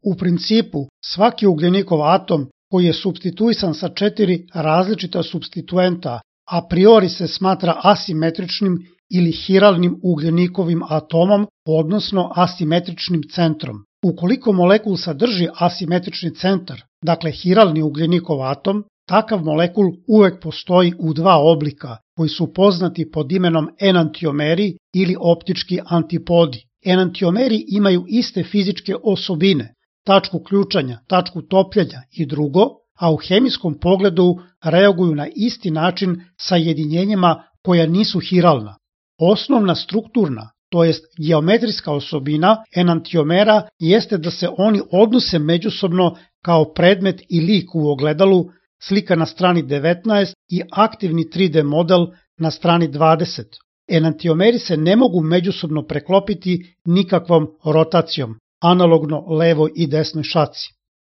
U principu, svaki ugljenikov atom koji je supstituisan sa 4 različita supstituenta a priori se smatra asimetričnim ili hiralnim ugljenikovim atomom, odnosno asimetričnim centrom. Ukoliko molekul sadrži asimetrični centar, dakle hiralni ugljenikov atom, takav molekul uvek postoji u dva oblika koji su poznati pod imenom enantiomeri ili optički antipodi. Enantiomeri imaju iste fizičke osobine, tačku ključanja, tačku topljenja i drugo, a u hemijskom pogledu reaguju na isti način sa jedinjenjima koja nisu hiralna. Osnovna strukturna, to jest geometrijska osobina enantiomera jeste da se oni odnose međusobno kao predmet i lik u ogledalu, slika na strani 19 i aktivni 3D model na strani 20. Enantiomeri se ne mogu međusobno preklopiti nikakvom rotacijom, analogno levoj i desnoj šaci.